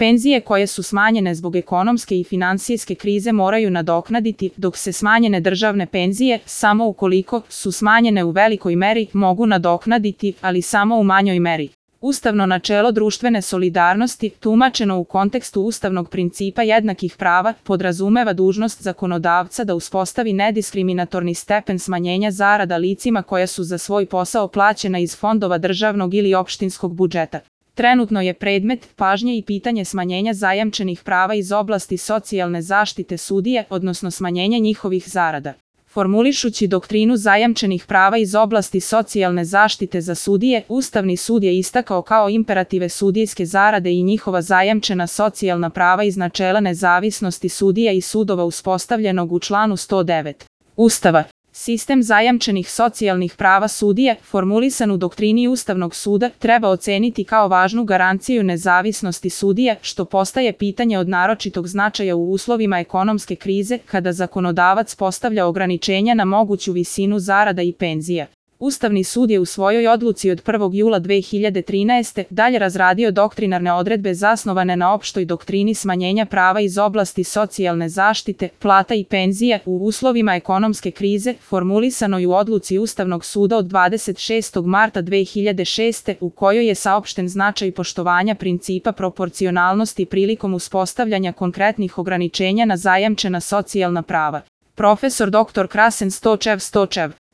Penzije koje su smanjene zbog ekonomske i finansijske krize moraju nadoknaditi, dok se smanjene državne penzije, samo ukoliko su smanjene u velikoj meri, mogu nadoknaditi, ali samo u manjoj meri. Ustavno načelo društvene solidarnosti, tumačeno u kontekstu ustavnog principa jednakih prava, podrazumeva dužnost zakonodavca da uspostavi nediskriminatorni stepen smanjenja zarada licima koja su za svoj posao plaćena iz fondova državnog ili opštinskog budžeta. Trenutno je predmet pažnje i pitanje smanjenja zajamčenih prava iz oblasti socijalne zaštite sudije, odnosno smanjenja njihovih zarada. Formulišući doktrinu zajamčenih prava iz oblasti socijalne zaštite za sudije, Ustavni sud je istakao kao imperative sudijske zarade i njihova zajamčena socijalna prava iz načela nezavisnosti sudija i sudova uspostavljenog u članu 109. Ustava. Sistem zajamčenih socijalnih prava sudije, formulisan u doktrini Ustavnog suda, treba oceniti kao važnu garanciju nezavisnosti sudija, što postaje pitanje od naročitog značaja u uslovima ekonomske krize, kada zakonodavac postavlja ograničenja na moguću visinu zarada i penzija. Ustavni sud je u svojoj odluci od 1. jula 2013. dalje razradio doktrinarne odredbe zasnovane na opštoj doktrini smanjenja prava iz oblasti socijalne zaštite, plata i penzija u uslovima ekonomske krize, formulisanoj u odluci Ustavnog suda od 26. marta 2006. u kojoj je saopšten značaj poštovanja principa proporcionalnosti prilikom uspostavljanja konkretnih ograničenja na zajamčena socijalna prava. Profesor dr. Krasen Stočev,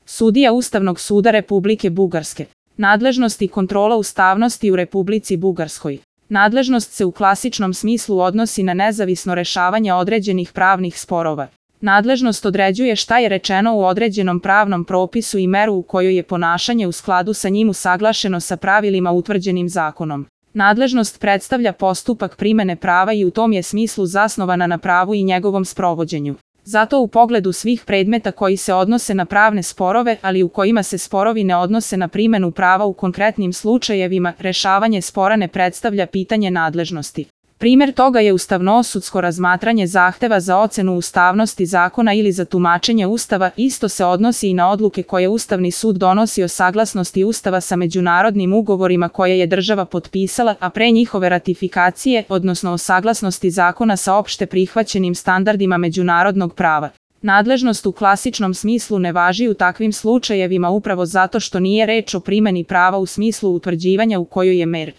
sudija Ustavnog suda Republike Bugarske. Nadležnost i kontrola ustavnosti u Republici Bugarskoj. Nadležnost se u klasičnom smislu odnosi na nezavisno rešavanje određenih pravnih sporova. Nadležnost određuje šta je rečeno u određenom pravnom propisu i meru u kojoj je ponašanje u skladu sa njim usaglašeno sa pravilima utvrđenim zakonom. Nadležnost predstavlja postupak primene prava i u tom je smislu zasnovana na pravu i njegovom sprovođenju. Zato u pogledu svih predmeta koji se odnose na pravne sporove, ali u kojima se sporovi ne odnose na primenu prava u konkretnim slučajevima, rešavanje spora ne predstavlja pitanje nadležnosti. Primer toga je ustavnosudsko razmatranje zahteva za ocenu ustavnosti zakona ili za tumačenje Ustava, isto se odnosi i na odluke koje Ustavni sud donosi o saglasnosti Ustava sa međunarodnim ugovorima koje je država potpisala, a pre njihove ratifikacije, odnosno o saglasnosti zakona sa opšte prihvaćenim standardima međunarodnog prava. Nadležnost u klasičnom smislu ne važi u takvim slučajevima upravo zato što nije reč o primeni prava u smislu utvrđivanja u kojoj je meri